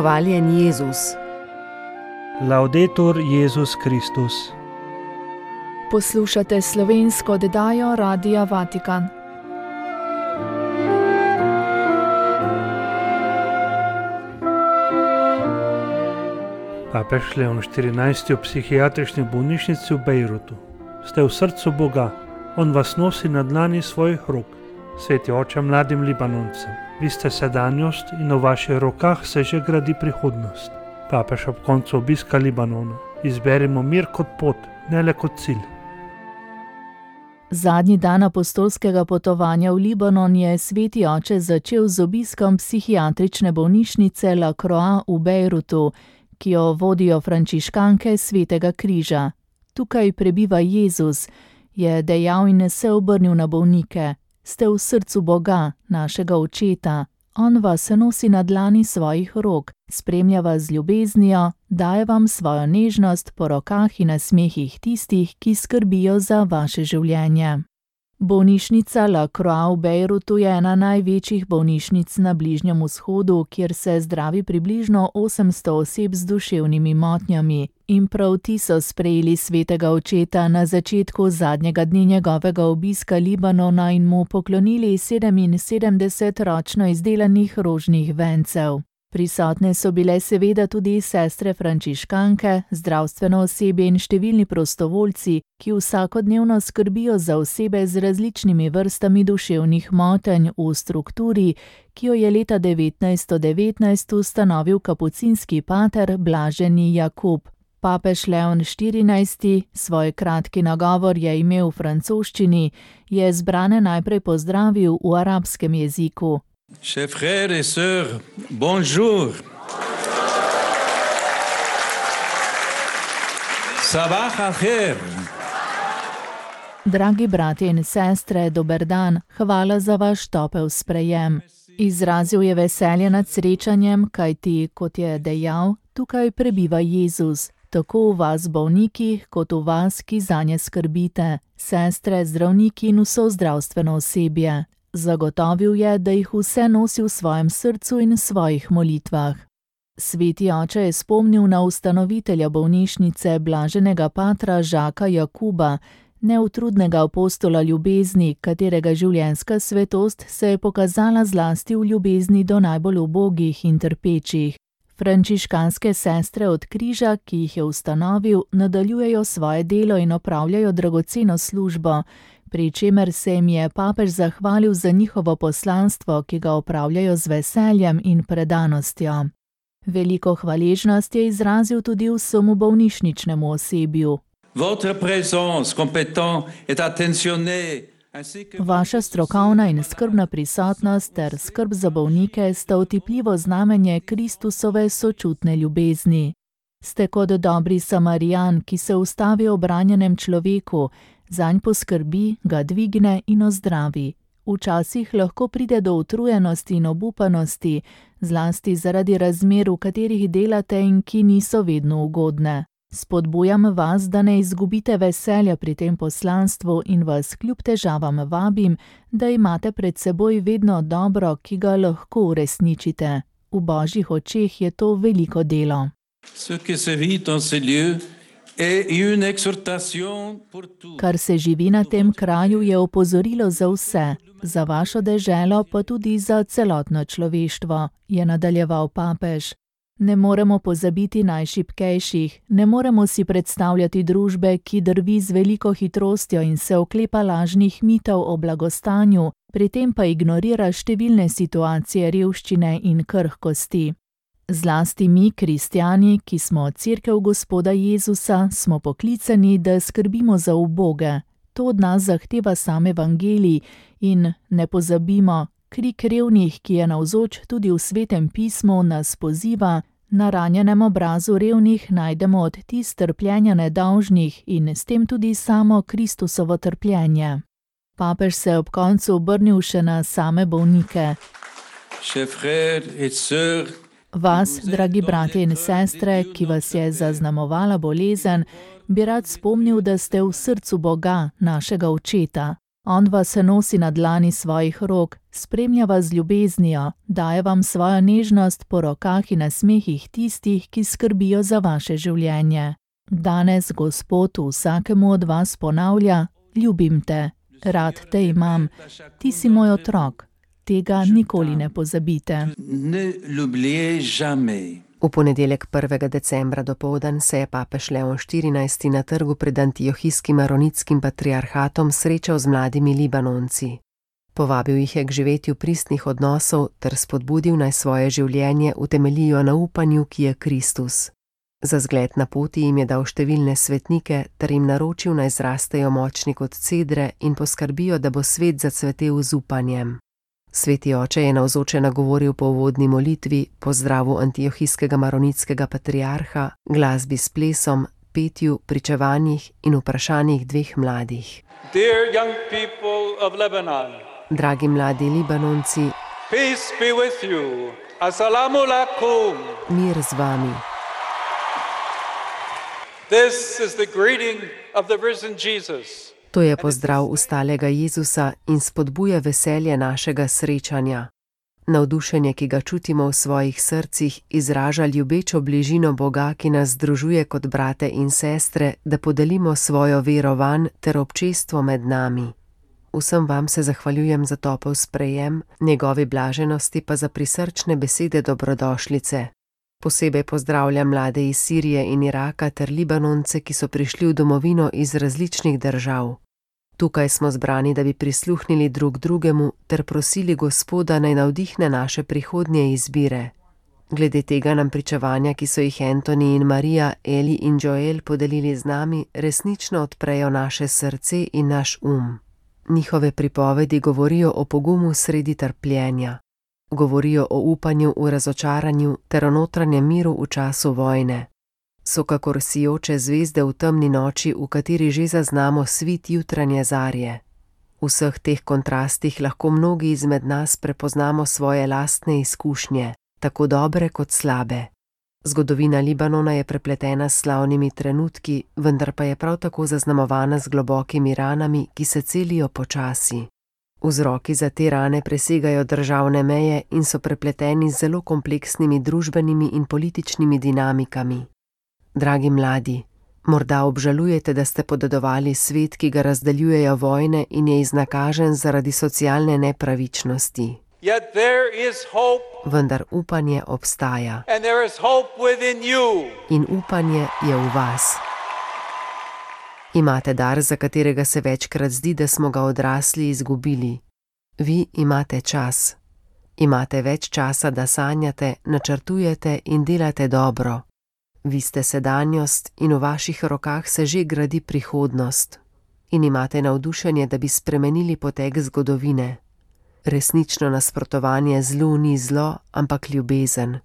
Hvaljen Jezus. Laudetur Jezus Kristus. Poslušate slovensko oddajo Radia Vatikan. Papež Leon XIV. V psihiatrični bolnišnici v Bejrutu. Ste v srcu Boga, On vas nosi na dlani svojih rok. Sveti oče mladim Libanoncem, vi ste sedanjost in v vaših rokah se že gradi prihodnost. Papež ob koncu obiska Libanona. Izberimo mir kot pot, ne le kot cilj. Zadnji dan apostolskega potovanja v Libanon je sveti oče začel z obiskom psihiatrične bolnišnice La Croix v Bejrutu, ki jo vodijo frančiškanke Svetega križa. Tukaj prebiva Jezus, je dejal in se obrnil na bolnike. Ste v srcu Boga, našega očeta. On vas nosi na dlani svojih rok, spremlja vas z ljubeznijo, daje vam svojo nežnost po rokah in nasmehih tistih, ki skrbijo za vaše življenje. Bolnišnica La Croix v Bejrutu je ena največjih bolnišnic na Bližnjem vzhodu, kjer se zdravi približno 800 oseb z duševnimi motnjami. In prav ti so sprejeli svetega očeta na začetku zadnjega dne njegovega obiska Libanona in mu poklonili 77 ročno izdelanih rožnih vencev. Prisotne so bile seveda tudi sestre frančiškanke, zdravstveno osebje in številni prostovoljci, ki vsakodnevno skrbijo za osebe z različnimi vrstami duševnih motenj v strukturi, ki jo je leta 1919 ustanovil kapucinski pater Blaženi Jakub. Papež Leon XIV. Svoj kratki nagovor je imel v francoščini, je zbrane najprej pozdravil v arabskem jeziku. Chers frères et sœurs, bonjour. Sabah al-khair. Dragi bratje in sestre, dober dan, hvala za vaš topel sprejem. Izrazil je veselje nad srečanjem, kajti, kot je dejal, tukaj prebiva Jezus, tako v vas bolnikih, kot v vas, ki zanje skrbite, sestre, zdravniki in vso zdravstveno osebje. Zagotovil je, da jih vse nosi v svojem srcu in svojih molitvah. Sveti oče je spomnil na ustanovitelja bolnišnice blaženega patra Žaka Jakuba, neutrudnega apostola ljubezni, katerega življenjska svetost se je pokazala zlasti v ljubezni do najbolj ubogih in trpečih. Frančiškanske sestre od križa, ki jih je ustanovil, nadaljujejo svoje delo in opravljajo dragoceno službo, pri čemer se jim je papež zahvalil za njihovo poslanstvo, ki ga opravljajo z veseljem in predanostjo. Veliko hvaležnost je izrazil tudi vsemu bolnišničnemu osebju. Vaša strokovna in skrbna prisotnost ter skrb za bolnike sta otipljivo znamenje Kristusove sočutne ljubezni. Ste kot dobri Samarijan, ki se ustavi ob ranjenem človeku, zanj poskrbi, ga dvigne in ozdravi. Včasih lahko pride do utrujenosti in obupanosti, zlasti zaradi razmer, v katerih delate in ki niso vedno ugodne. Spodbujam vas, da ne izgubite veselja pri tem poslanstvu in vas kljub težavam vabim, da imate pred seboj vedno dobro, ki ga lahko uresničite. V Božjih očeh je to veliko delo. Kar se živi na tem kraju, je opozorilo za vse, za vašo deželo pa tudi za celotno človeštvo, je nadaljeval papež. Ne moremo pozabiti najšibkejših, ne moremo si predstavljati družbe, ki drvi z veliko hitrostjo in se oklepa lažnih mitov o blagostanju, pri tem pa ignorira številne situacije revščine in krhkosti. Zlasti mi, kristjani, ki smo Cerkev Gospoda Jezusa, smo poklicani, da skrbimo za uboge. To od nas zahteva sam evangelij in ne pozabimo, krik revnih, ki je navzoč tudi v Svetem pismu, nas poziva, na ranjenem obrazu revnih najdemo odtis trpljenja nedolžnih in s tem tudi samo Kristusovo trpljenje. Papež se je ob koncu obrnil še na same bolnike. Vas, dragi bratje in sestre, ki vas je zaznamovala bolezen, bi rad spomnil, da ste v srcu Boga, našega očeta. On vas nosi na dlani svojih rok, spremlja vas z ljubeznijo, daje vam svojo nežnost po rokah in nasmehih tistih, ki skrbijo za vaše življenje. Danes Gospod vsakemu od vas ponavlja: ljubim te, rad te imam, ti si moj otrok. Tega nikoli ne pozabite. Ne l'oubliez jamais. V ponedeljek 1. decembra dopoldan se je papež Leon XIV. Na trgu pred antiohijskim maronitskim patriarhatom srečal z mladimi Libanonci. Povabil jih je k živetju pristnih odnosov ter spodbudil, naj svoje življenje utemeljijo na upanju, ki je Kristus. Za zgled na poti jim je dal številne svetnike ter jim naročil, naj zrastejo močni kot cedre in poskrbijo, da bo svet zacvetel z upanjem. Sveti oče je navzoče nagovoril po uvodni molitvi, pozdravu antiohijskega maronitskega patriarha, glasbi s plesom, petju, pričevanjih in vprašanjih dveh mladih. Dear young people of Lebanon, Dragi mladi Libanonci, peace be with you. Assalamu alaikum. mir z vami. This is the greeting of the risen Jesus. To je pozdrav ustalega Jezusa in spodbuja veselje našega srečanja. Navdušenje, ki ga čutimo v svojih srcih, izraža ljubečo bližino Boga, ki nas združuje kot brate in sestre, da podelimo svojo vero vanj ter občestvo med nami. Vsem vam se zahvaljujem za topel sprejem, njegovi blaženosti pa za prisrčne besede dobrodošlice. Posebej pozdravljam mlade iz Sirije in Iraka ter Libanonce, ki so prišli v domovino iz različnih držav. Tukaj smo zbrani, da bi prisluhnili drug drugemu ter prosili Gospoda, naj navdihne naše prihodnje izbire. Glede tega nam pričevanja, ki so jih Antoni in Marija, Eli in Joel podelili z nami, resnično odprejo naše srce in naš Njihove pripovedi govorijo o pogumu sredi trpljenja. Govorijo o upanju v razočaranju ter o notranjem miru v času vojne. So kakor sijoče zvezde v temni noči, v kateri že zaznamo svit jutranje zarje. V vseh teh kontrastih lahko mnogi izmed nas prepoznamo svoje lastne izkušnje, tako dobre kot slabe. Zgodovina Libanona je prepletena s slavnimi trenutki, vendar pa je prav tako zaznamovana z globokimi ranami, ki se celijo počasi. Vzroki za te rane presegajo državne meje in so prepleteni z zelo kompleksnimi družbenimi in političnimi dinamikami. Dragi mladi, morda obžalujete, da ste podedovali svet, ki ga razdeljujejo vojne in je iznakažen zaradi socialne nepravičnosti. Yet there is hope, Vendar upanje obstaja and there is hope within you. in upanje je v vas. Imate dar, za katerega se večkrat zdi, da smo ga odrasli izgubili. Vi imate čas. Imate več časa, da sanjate, načrtujete in delate dobro. Vi ste sedanjost in v vaših rokah se že gradi prihodnost. In imate navdušenje, da bi spremenili potek zgodovine. Resnično nasprotovanje zlu ni zlo, ampak ljubezen.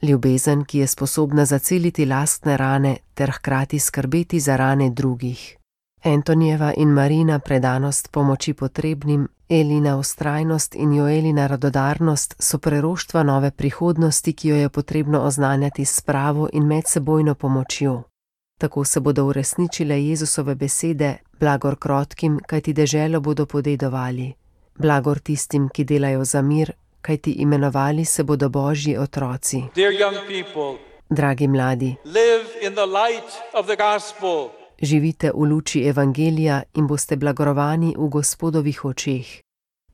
Ljubezen, ki je sposobna zaceliti lastne rane ter hkrati skrbeti za rane drugih. Antonijeva in Marina predanost pomoči potrebnim, Elina vztrajnost in Joelina radodarnost so preroštva nove prihodnosti, ki jo je potrebno oznanjati s spravo in medsebojno pomočjo. Tako se bodo uresničile Jezusove besede: blagor krotkim, kajti deželo bodo podedovali. Blagor tistim, ki delajo za mir, kajti imenovali se bodo Božji otroci. Dear young people, Dragi mladi, live in the light of the gospel. živite v luči evangelija in boste blagorovani v Gospodovih očeh.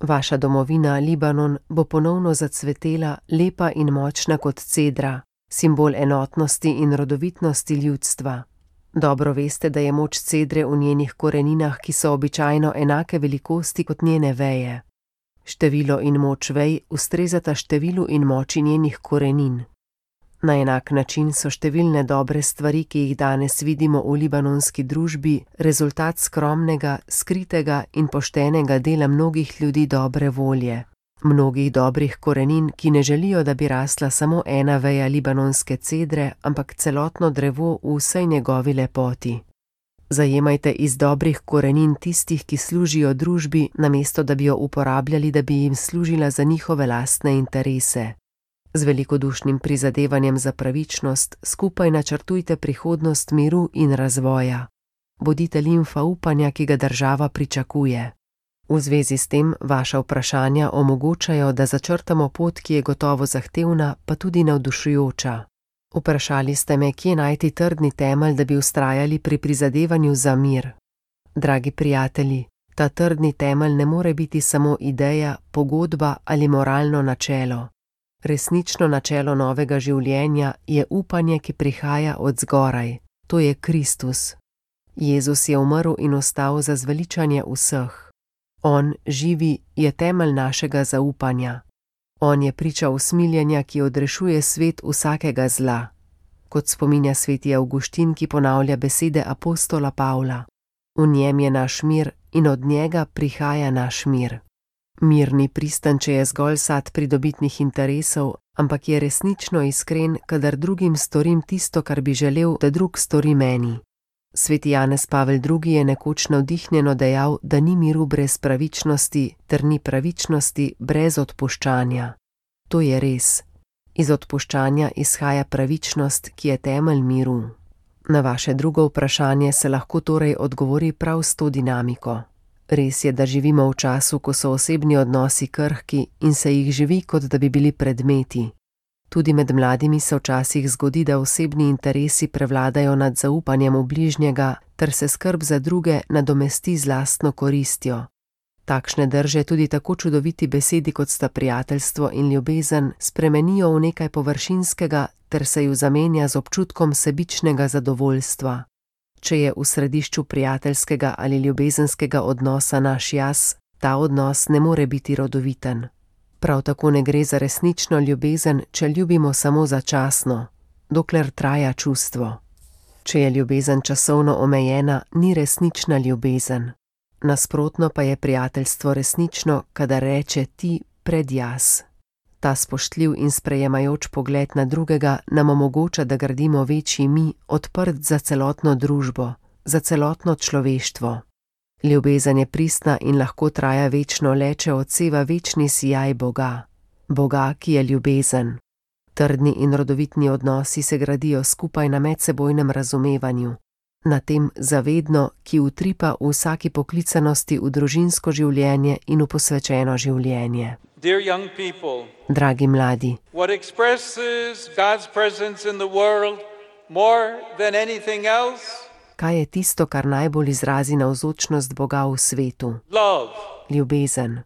Vaša domovina, Libanon, bo ponovno zacvetela, lepa in močna kot cedra, simbol enotnosti in rodovitnosti ljudstva. Dobro veste, da je moč cedre v njenih koreninah, ki so običajno enake velikosti kot njene veje. Število in moč vej ustrezata številu in moči njenih korenin. Na enak način so številne dobre stvari, ki jih danes vidimo v libanonski družbi, rezultat skromnega, skritega in poštenega dela mnogih ljudi dobre volje. Mnogih dobrih korenin, ki ne želijo, da bi rasla samo ena veja libanonske cedre, ampak celotno drevo v vsej njegovi lepoti. Zajemajte iz dobrih korenin tistih, ki služijo družbi, namesto da bi jo uporabljali, da bi jim služila za njihove lastne interese. Z velikodušnim prizadevanjem za pravičnost skupaj načrtujte prihodnost miru in razvoja. Bodite limfa upanja, ki ga država pričakuje. V zvezi s tem vaša vprašanja omogočajo, da začrtamo pot, ki je gotovo zahtevna, pa tudi navdušujoča. Vprašali ste me, kje najti trdni temelj, da bi vztrajali pri prizadevanju za mir. Dragi prijatelji, ta trdni temelj ne more biti samo ideja, pogodba ali moralno načelo. Resnično načelo novega življenja je upanje, ki prihaja od zgoraj. To je Kristus. Jezus je umrl in ostal za zveličanje vseh. On, živi, je temelj našega zaupanja. On je priča usmiljenja, ki odrešuje svet vsakega zla. Kot spominja sveti Avguštin, ki ponavlja besede apostola Pavla. V njem je naš mir in od njega prihaja naš mir. Mir ni pristan, če je zgolj sad pridobitnih interesov, ampak je resnično iskren, kadar drugim storim tisto, kar bi želel, da drug stori meni. Sveti Janez Pavel II. Je nekoč navdihnjeno dejal, da ni miru brez pravičnosti, ter ni pravičnosti brez odpuščanja. To je res. Iz odpuščanja izhaja pravičnost, ki je temelj miru. Na vaše drugo vprašanje se lahko torej odgovori prav s to dinamiko. Res je, da živimo v času, ko so osebni odnosi krhki in se jih živi, kot da bi bili predmeti. Tudi med mladimi se včasih zgodi, da osebni interesi prevladajo nad zaupanjem v bližnjega, ter se skrb za druge nadomesti z lastno koristjo. Takšne drže tudi tako čudoviti besedi, kot sta prijateljstvo in ljubezen, spremenijo v nekaj površinskega, ter se ju zamenja z občutkom sebičnega zadovoljstva. Če je v središču prijateljskega ali ljubezenskega odnosa naš jaz, ta odnos ne more biti rodoviten. Prav tako ne gre za resnično ljubezen, če ljubimo samo začasno, dokler traja čustvo. Če je ljubezen časovno omejena, ni resnična ljubezen. Nasprotno pa je prijateljstvo resnično, kadar reče ti pred jaz. Ta spoštljiv in sprejemajoč pogled na drugega nam omogoča, da gradimo večji mi, odprt za celotno družbo, za celotno človeštvo. Ljubezen je pristna in lahko traja večno le, če odseva večni sijaj Boga. Boga, ki je ljubezen. Trdni in rodovitni odnosi se gradijo skupaj na medsebojnem razumevanju, na tem zavedno, ki utripa v vsaki poklicanosti v družinsko življenje in v posvečeno življenje. Dear young people, Dragi mladi, what expresses God's presence in the world more than anything else? kaj je tisto, kar najbolj izrazi navzočnost Boga v svetu? Love. Ljubezen.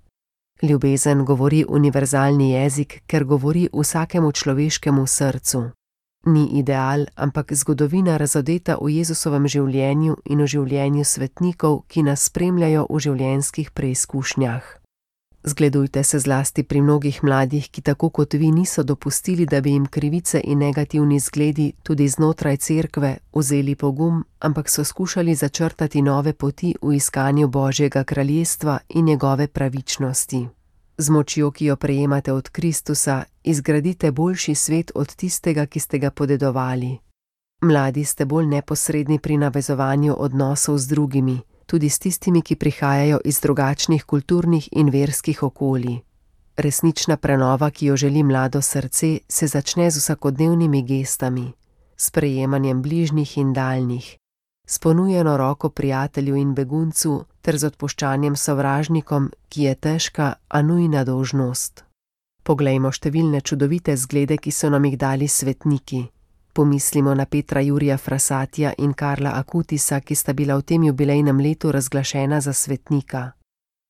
Ljubezen govori univerzalni jezik, ker govori vsakemu človeškemu srcu. Ni ideal, ampak zgodovina razodeta v Jezusovem življenju in v življenju svetnikov, ki nas spremljajo v življenjskih preizkušnjah. Zgledujte se zlasti pri mnogih mladih, ki tako kot vi niso dopustili, da bi jim krivice in negativni zgledi tudi znotraj cerkve vzeli pogum, ampak so skušali začrtati nove poti v iskanju Božjega kraljestva in njegove pravičnosti. Z močjo, ki jo prejemate od Kristusa, izgradite boljši svet od tistega, ki ste ga podedovali. Mladi ste bolj neposredni pri navezovanju odnosov z drugimi, tudi s tistimi, ki prihajajo iz drugačnih kulturnih in verskih okolij. Resnična prenova, ki jo želi mlado srce, se začne z vsakodnevnimi gestami, s prejemanjem bližnjih in daljnih, s ponujeno roko prijatelju in beguncu ter z odpuščanjem sovražnikom, ki je težka, a nujna dolžnost. Poglejmo številne čudovite zglede, ki so nam jih dali svetniki. Pomislimo na Petra Jurija Frassatija in Karla Akutisa, ki sta bila v tem jubilejnem letu razglašena za svetnika.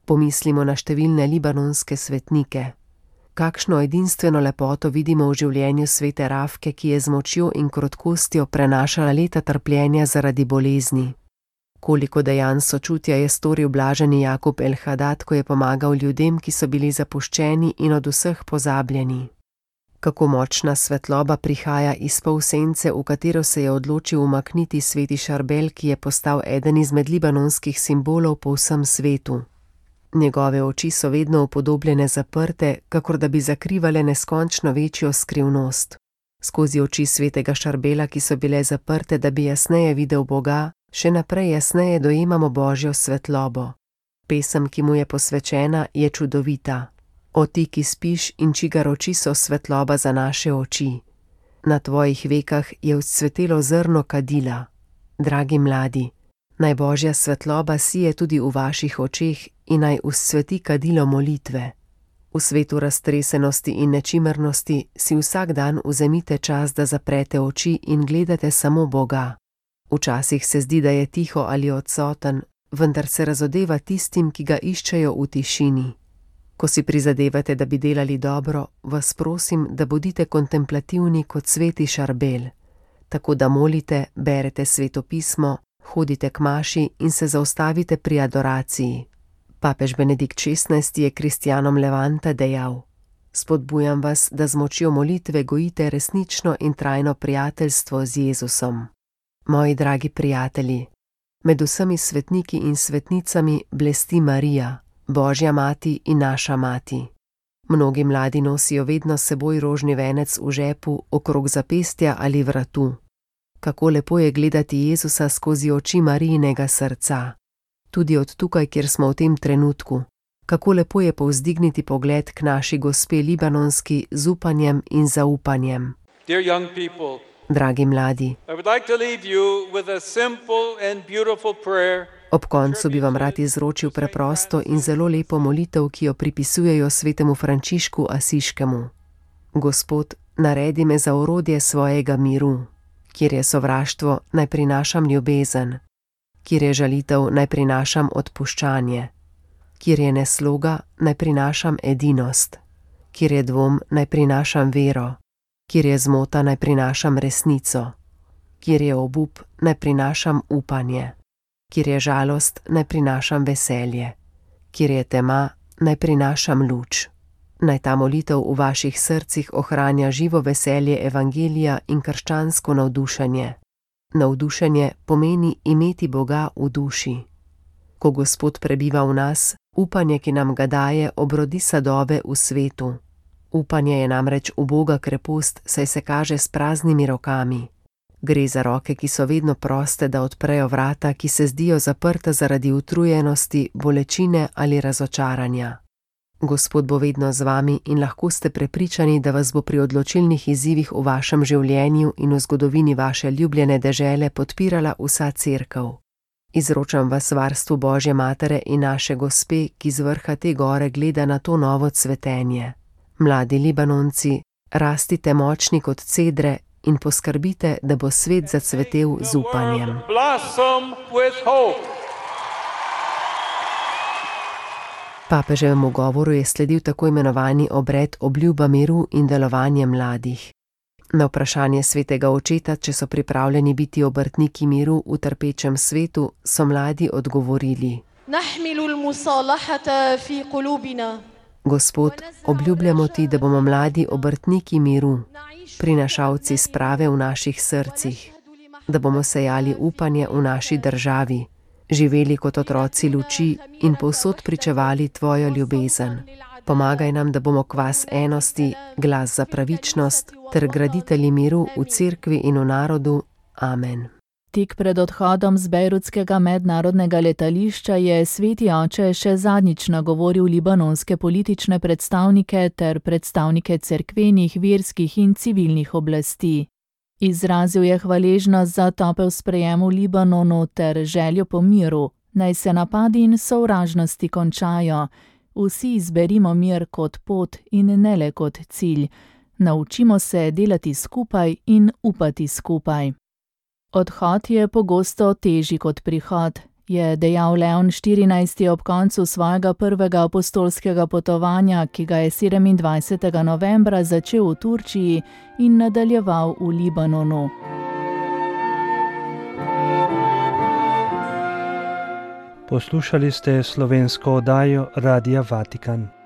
Pomislimo na številne libanonske svetnike. Kakšno edinstveno lepoto vidimo v življenju svete Rafke, ki je z močjo in krotkostjo prenašala leta trpljenja zaradi bolezni. Koliko dejanj sočutja je storil blaženi Jakub el Hadad, ko je pomagal ljudem, ki so bili zapuščeni in od vseh pozabljeni. Kako močna svetloba prihaja iz polsence, v katero se je odločil umakniti sveti Šarbel, ki je postal eden izmed libanonskih simbolov po vsem svetu. Njegove oči so vedno upodobljene zaprte, kakor da bi zakrivale neskončno večjo skrivnost. Skozi oči svetega Šarbela, ki so bile zaprte, da bi jasneje videl Boga, še naprej jasneje dojemamo Božjo svetlobo. Pesem, ki mu je posvečena, je čudovita. O ti, ki spiš in čigar oči so svetloba za naše oči. Na tvojih vekah je vzcvetelo zrno kadila. Dragi mladi, naj Božja svetloba sije tudi v vaših očeh in naj uscveti kadilo molitve. V svetu raztresenosti in nečimrnosti si vsak dan vzemite čas, da zaprete oči in gledate samo Boga. Včasih se zdi, da je tiho ali odsoten, vendar se razodeva tistim, ki ga iščejo v tišini. Ko si prizadevate, da bi delali dobro, vas prosim, da bodite kontemplativni kot sveti Šarbel, tako da molite, berete Sveto pismo, hodite k maši in se zaustavite pri adoraciji. Papež Benedikt XVI je kristjanom Levanta dejal: Spodbujam vas, da z močjo molitve gojite resnično in trajno prijateljstvo z Jezusom. Moji dragi prijatelji, med vsemi svetniki in svetnicami blesti Marija, Božja mati in naša mati. Mnogi mladi nosijo vedno s seboj rožni venec v žepu, okrog zapestja ali vratu. Kako lepo je gledati Jezusa skozi oči Marijinega srca. Tudi od tukaj, kjer smo v tem trenutku. Kako lepo je povzdigniti pogled k naši gospe Libanonski z upanjem in zaupanjem. Dear young people, Dragi mladi, I would like to leave you with a simple and beautiful prayer. ob koncu bi vam rad izročil preprosto in zelo lepo molitev, ki jo pripisujejo svetemu Frančišku Asiškemu. Gospod, naredi me za orodje svojega miru. Kjer je sovraštvo, naj prinašam ljubezen. Kjer je žalitev, naj prinašam odpuščanje. Kjer je nesloga, naj prinašam edinost. Kjer je dvom, naj prinašam vero. Kjer je zmota, naj prinašam resnico. Kjer je obup, naj prinašam upanje. Kjer je žalost, naj prinašam veselje. Kjer je tema, naj prinašam luč. Naj ta molitev v vaših srcih ohranja živo veselje evangelija in krščansko navdušenje. Navdušenje pomeni imeti Boga v duši. Ko Gospod prebiva v nas, upanje, ki nam ga daje, obrodi sadove v svetu. Upanje je namreč uboga krepost, saj se kaže s praznimi rokami. Gre za roke, ki so vedno proste, da odprejo vrata, ki se zdijo zaprta zaradi utrujenosti, bolečine ali razočaranja. Gospod bo vedno z vami in lahko ste prepričani, da vas bo pri odločilnih izzivih v vašem življenju in v zgodovini vaše ljubljene dežele podpirala vsa cerkev. Izročam vas varstvu Božje Matere in naše Gospe, ki z vrha te gore gleda na to novo cvetenje. Mladi Libanonci, rastite močni kot cedre in poskrbite, da bo svet zacvetel z upanjem. Papeževemu govoru je sledil tako imenovani obred obljuba miru in delovanje mladih. Na vprašanje svetega očeta, če so pripravljeni biti obrtniki miru v trpečem svetu, so mladi odgovorili: Gospod, obljubljamo ti, da bomo mladi obrtniki miru, prinašalci sprave v naših srcih, da bomo sejali upanje v naši državi, živeli kot otroci luči in povsod pričevali tvojo ljubezen. Pomagaj nam, da bomo kvas enosti, glas za pravičnost ter graditelji miru v cerkvi in v narodu. Amen. Tik pred odhodom z bejrutskega mednarodnega letališča je sveti oče še zadnjič nagovoril libanonske politične predstavnike ter predstavnike cerkvenih, verskih in civilnih oblasti. Izrazil je hvaležnost za topel sprejem v Libanonu ter željo po miru, naj se napadi in sovražnosti končajo. Vsi izberimo mir kot pot in ne le kot cilj. Naučimo se delati skupaj in upati skupaj. Odhod je pogosto težji kot prihod, je dejal Leon XIV. Ob koncu svojega prvega apostolskega potovanja, ki ga je 27. novembra začel v Turčiji in nadaljeval v Libanonu. Poslušali ste slovensko oddajo Radia Vatikan.